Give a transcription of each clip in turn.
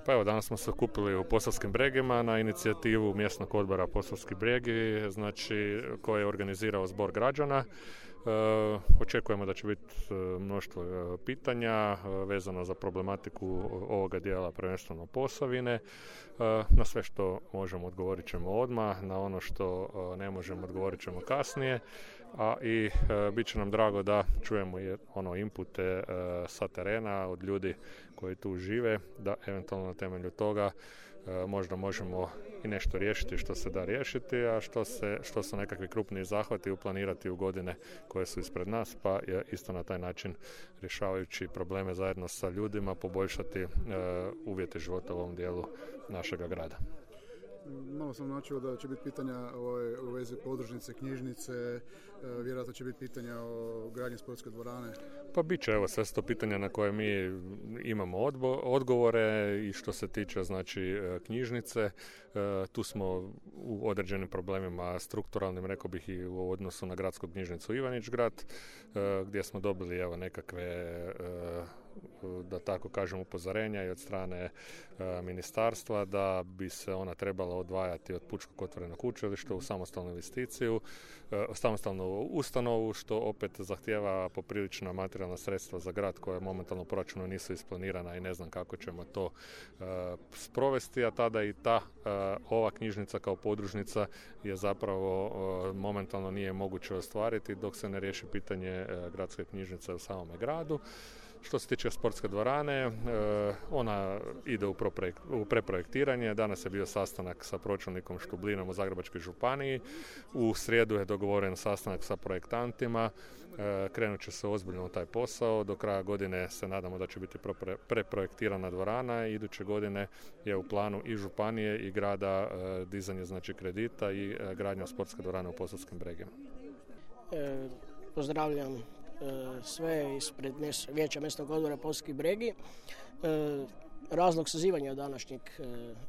Pa evo, danas smo se okupili u Posavskim Bregima na inicijativu mjesnog odbora Posavski Bregi, znači koje je organizirao Zbor građana. Očekujemo da će biti mnoštvo pitanja vezano za problematiku ovoga dijela, prvenstveno Posavine. Na sve što možemo odgovorit ćemo odmah, na ono što ne možemo odgovorit ćemo kasnije, a i bit će nam drago da čujemo inpute sa terena od ljudi koji tu žive, da eventualno na temelju toga možda možemo i nešto riješiti što se da riješiti, a što su nekakvi krupniji zahvati uplanirati u godine koje su ispred nas, pa je isto na taj način rješavajući probleme zajedno sa ljudima poboljšati uvjete života u ovom dijelu našega grada. Malo sam načuo da će biti pitanja u vezi podružnice, knjižnice, vjerojatno će biti pitanja o gradnji sportske dvorane. Pa bit će, evo, sve su to pitanja na koje mi imamo odgovore i što se tiče, znači, knjižnice. Tu smo u određenim problemima strukturalnim, rekao bih i u odnosu na gradsku knjižnicu Ivanić-grad, gdje smo dobili, evo, nekakve da tako kažem upozorenja i od strane ministarstva da bi se ona trebala odvajati od Pučkog otvorenog učilišta u samostalnu investiciju, samostalnu ustanovu, što opet zahtijeva poprilična materijalna sredstva za grad koja momentalno u proračunu nisu isplanirana i ne znam kako ćemo to sprovesti, a tada i ova knjižnica kao podružnica je zapravo momentalno nije moguće ostvariti dok se ne riješi pitanje gradske knjižnice u samome gradu. Što se tiče sportske dvorane, ona ide u preprojektiranje. Danas je bio sastanak sa pročelnikom Štublinom u Zagrebačkoj županiji. U srijedu je dogovoren sastanak sa projektantima. Krenut će se ozbiljno u taj posao. Do kraja godine se nadamo da će biti preprojektirana dvorana. Iduće godine je u planu i županije i grada dizanje, znači, kredita i gradnja sportske dvorane u Posavskim Bregima. Pozdravljam sve ispred Vijeća mjesnog odbora Posavski Bregi. Razlog sazivanja današnjeg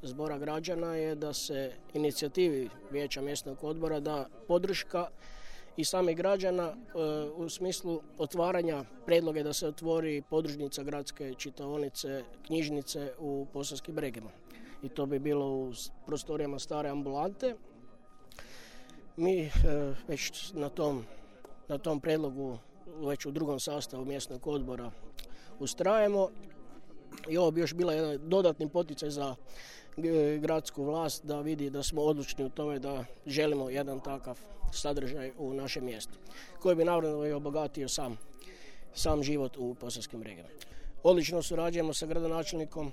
zbora građana je da se inicijativi Vijeća mjesnog odbora da podrška i samih građana u smislu otvaranja predloge da se otvori podružnica gradske čitaonice, knjižnice u Posavskim Bregima. I to bi bilo u prostorijama stare ambulante. Mi već na tom predlogu već u drugom sastavu mjesnog odbora ustrajemo i ovo bi još bila jedan dodatni poticaj za gradsku vlast da vidi da smo odlučni u tome da želimo jedan takav sadržaj u našem mjestu koji bi naravno i obogatio sam život u Posavskim Bregima. Odlično surađujemo sa gradonačelnikom,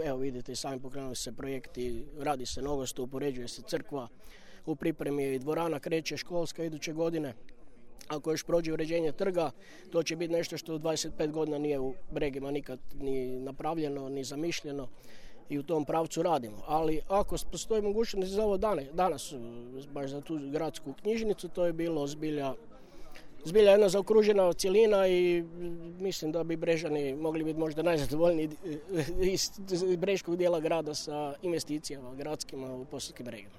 evo vidite i sami pokrenuli se projekti, radi se nogostup, uređuje se crkva, u pripremi je i dvorana, kreće školska iduće godine. Ako još prođe uređenje trga, to će biti nešto što u 25 godina nije u Bregima nikad ni napravljeno, ni zamišljeno i u tom pravcu radimo. Ali ako postoji mogućnost za ovo danas, baš za tu gradsku knjižnicu, to je bilo zbilja jedna zaokružena cjelina i mislim da bi Brežani mogli biti možda najzadovoljniji iz brežkog dijela grada sa investicijama gradskima u Posavskim Bregima.